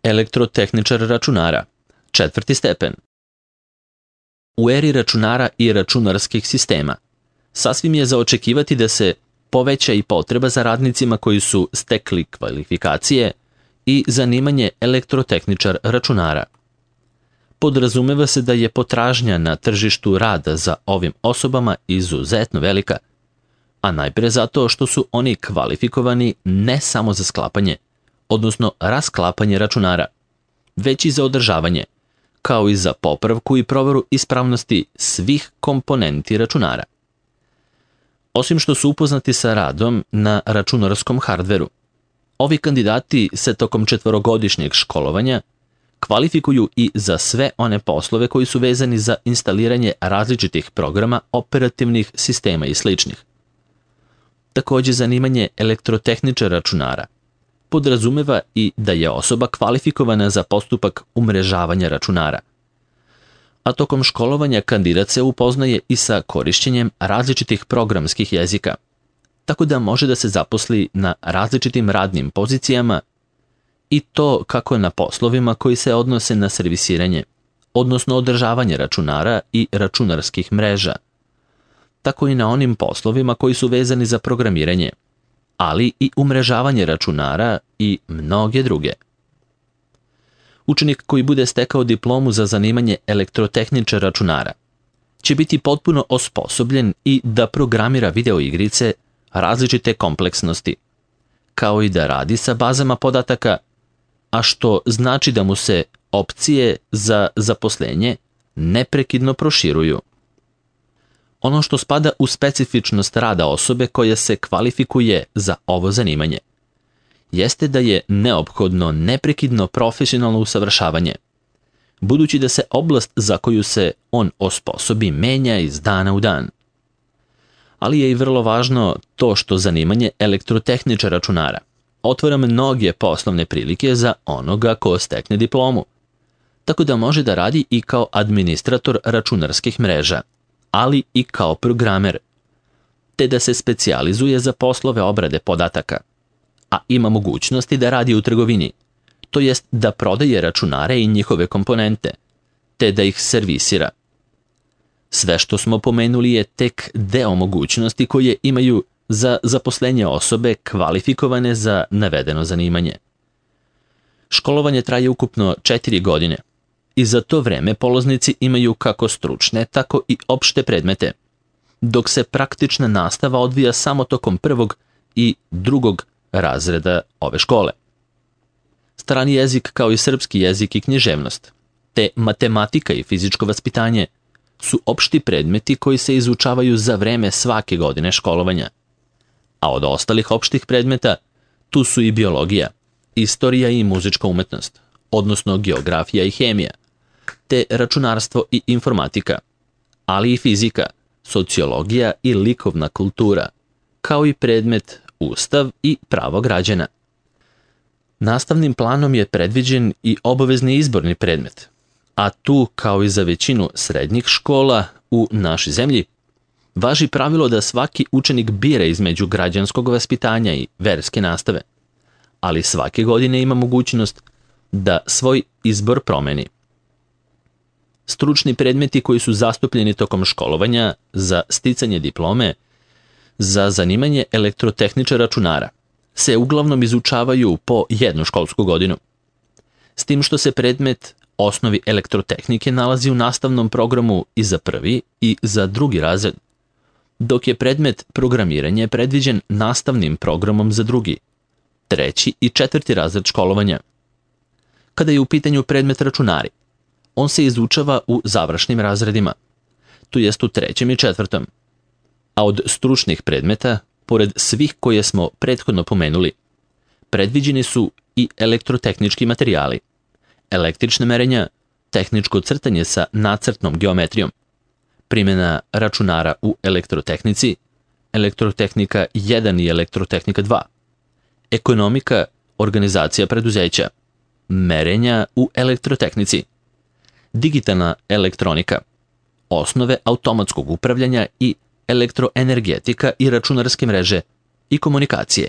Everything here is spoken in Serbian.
Elektrotehničar računara, 4. stepen. U eri računara i računarskih sistema, sasvim je za očekivati da se poveća i potreba za radnicima koji su stekli kvalifikacije i zanimanje elektrotehničar računara. Podrazumeva se da je potražnja na tržištu rada za ovim osobama izuzetno velika, a najpre zato što su oni kvalifikovani ne samo za sklapanje, odnosno rasklapanje računara, već i za održavanje, kao i za popravku i proveru ispravnosti svih komponenti računara. Osim što su upoznati sa radom na računarskom hardveru, ovi kandidati se tokom 4-godišnjeg školovanja kvalifikuju i za sve one poslove koji su vezani za instaliranje različitih programa, operativnih sistema i sl. Takođe, zanimanje elektrotehničara računara podrazumeva i da je osoba kvalifikovana za postupak umrežavanja računara. A tokom školovanja kandidat se upoznaje i sa korišćenjem različitih programskih jezika, tako da može da se zaposli na različitim radnim pozicijama i to kako na poslovima koji se odnose na servisiranje, odnosno održavanje računara i računarskih mreža, tako i na onim poslovima koji su vezani za programiranje, ali i umrežavanje računara i mnoge druge. Učenik koji bude stekao diplomu za zanimanje elektrotehničar računara će biti potpuno osposobljen i da programira videoigrice različite kompleksnosti, kao i da radi sa bazama podataka, a što znači da mu se opcije za zaposlenje neprekidno proširuju. Ono što spada u specifičnost rada osobe koja se kvalifikuje za ovo zanimanje jeste da je neophodno neprekidno profesionalno usavršavanje, budući da se oblast za koju se on osposobi menja iz dana u dan. Ali je i vrlo važno to što zanimanje elektrotehničara računara otvara mnoge poslovne prilike za onoga ko stekne diplomu, tako da može da radi i kao administrator računarskih mreža, ali i kao programer, te da se specijalizuje za poslove obrade podataka, a ima mogućnosti da radi u trgovini, to jest da prodaje računare i njihove komponente, te da ih servisira. Sve što smo pomenuli je tek deo mogućnosti koje imaju za zaposlenje osobe kvalifikovane za navedeno zanimanje. Školovanje traje ukupno 4 godine i za to vreme polaznici imaju kako stručne, tako i opšte predmete, dok se praktična nastava odvija samo tokom 1. i 2. razreda ove škole. Strani jezik kao i srpski jezik i književnost, te matematika i fizičko vaspitanje su opšti predmeti koji se izučavaju za vreme svake godine školovanja. A od ostalih opštih predmeta tu su i biologija, istorija i muzička umetnost, odnosno geografija i hemija, te računarstvo i informatika, ali i fizika, sociologija i likovna kultura, kao i predmet Ustav i pravo građana. Nastavnim planom je predviđen i obavezni izborni predmet, a tu, kao i za većinu srednjih škola u našoj zemlji, važi pravilo da svaki učenik bira između građanskog vaspitanja i verske nastave, ali svake godine ima mogućnost da svoj izbor promeni. Stručni predmeti koji su zastupljeni tokom školovanja za sticanje diplome za zanimanje elektrotehničara računara se uglavnom izučavaju po 1 školsku godinu, s tim što se predmet osnovi elektrotehnike nalazi u nastavnom programu i za 1. i za 2. razred, dok je predmet programiranje predviđen nastavnim programom za 2., 3. i 4. razred školovanja. Kada je u pitanju predmet računari, on se izučava u završnim razredima, to jest u 3. i 4. A od stručnih predmeta, pored svih koje smo prethodno pomenuli, predviđeni su i elektrotehnički materijali, električne merenja, tehničko crtanje sa nacrtnom geometrijom, primjena računara u elektrotehnici, elektrotehnika 1 i elektrotehnika 2, ekonomika, organizacija preduzeća, merenja u elektrotehnici, digitalna elektronika, osnove automatskog upravljanja i elektroenergetika i računarske mreže i komunikacije.